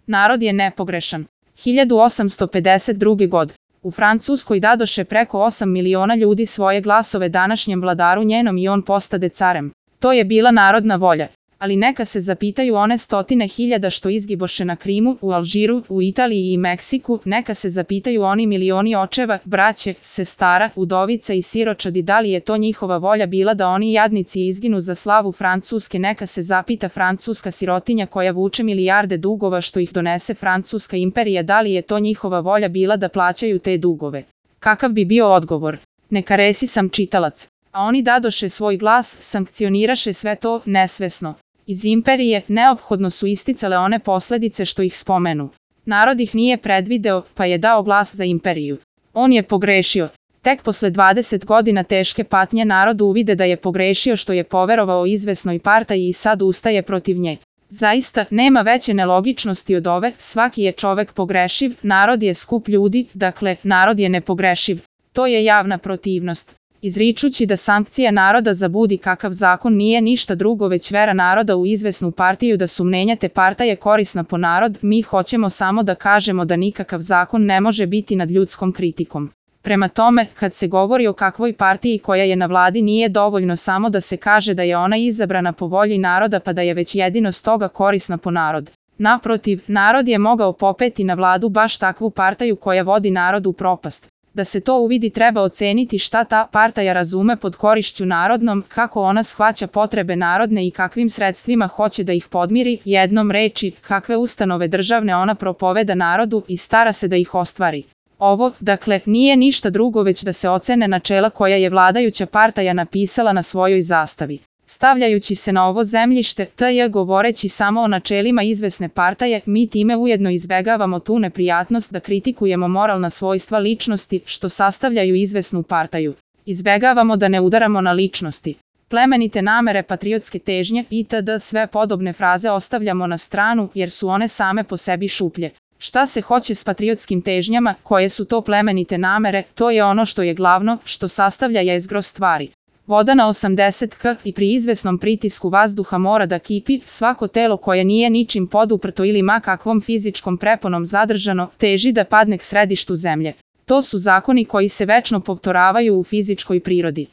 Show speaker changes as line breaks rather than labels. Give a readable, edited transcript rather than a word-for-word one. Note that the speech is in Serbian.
Narod je nepogrešan. 1852. god. U Francuskoj dadoše preko 8 miliona ljudi svoje glasove današnjem vladaru njenom i on postade carem. To je bila narodna volja. Ali neka se zapitaju one stotine hiljada što izgiboše na Krimu, u Alžiru, u Italiji i Meksiku, neka se zapitaju oni milioni očeva, braće, sestara, udovica i siročadi da li je to njihova volja bila da oni jadnici izginu za slavu Francuske, neka se zapita francuska sirotinja koja vuče milijarde dugova što ih donese Francuska imperija da li je to njihova volja bila da plaćaju te dugove. Kakav bi bio odgovor? Neka resi sam čitalac. A oni dadoše svoj glas, sankcioniraše sve to nesvesno. Iz imperije neophodno su isticale one posledice što ih spomenu. Narod ih nije predvideo, pa je dao glas za imperiju. On je pogrešio. Tek posle 20 godina teške patnje narod uvide da je pogrešio što je poverovao izvesnoj partaji i sad ustaje protiv nje. Zaista, nema veće nelogičnosti od ove, svaki je čovek pogrešiv, narod je skup ljudi, dakle, narod je nepogrešiv. To je javna protivnost. Izričući da sankcija naroda za budi kakav zakon nije ništa drugo već vera naroda u izvesnu partiju da su mnenja te partaje korisna po narod, mi hoćemo samo da kažemo da nikakav zakon ne može biti nad ljudskom kritikom. Prema tome, kad se govori o kakvoj partiji koja je na vladi nije dovoljno samo da se kaže da je ona izabrana po volji naroda pa da je već jedino stoga korisna po narod. Naprotiv, narod je mogao popeti na vladu baš takvu partiju koja vodi narod u propast. Da se to uvidi treba oceniti šta ta partaja razume pod korišću narodnom, kako ona shvaća potrebe narodne i kakvim sredstvima hoće da ih podmiri, jednom reči, kakve ustanove državne ona propoveda narodu i stara se da ih ostvari. Ovo, dakle, nije ništa drugo već da se ocene načela koja je vladajuća partaja napisala na svojoj zastavi. Stavljajući se na ovo zemljište, govoreći samo o načelima izvesne partaje, mi time ujedno izbegavamo tu neprijatnost da kritikujemo moralna svojstva ličnosti što sastavljaju izvesnu partaju. Izbegavamo da ne udaramo na ličnosti. Plemenite namere, patriotske težnje itd. Sve podobne fraze ostavljamo na stranu jer su one same po sebi šuplje. Šta se hoće s patriotskim težnjama, koje su to plemenite namere, to je ono što je glavno, što sastavlja jezgro stvari. Voda na 80 k i pri izvesnom pritisku vazduha mora da kipi, svako telo koje nije ničim poduprto ili ma kakvom fizičkom preponom zadržano, teži da padne k središtu zemlje. To su zakoni koji se večno povtoravaju u fizičkoj prirodi.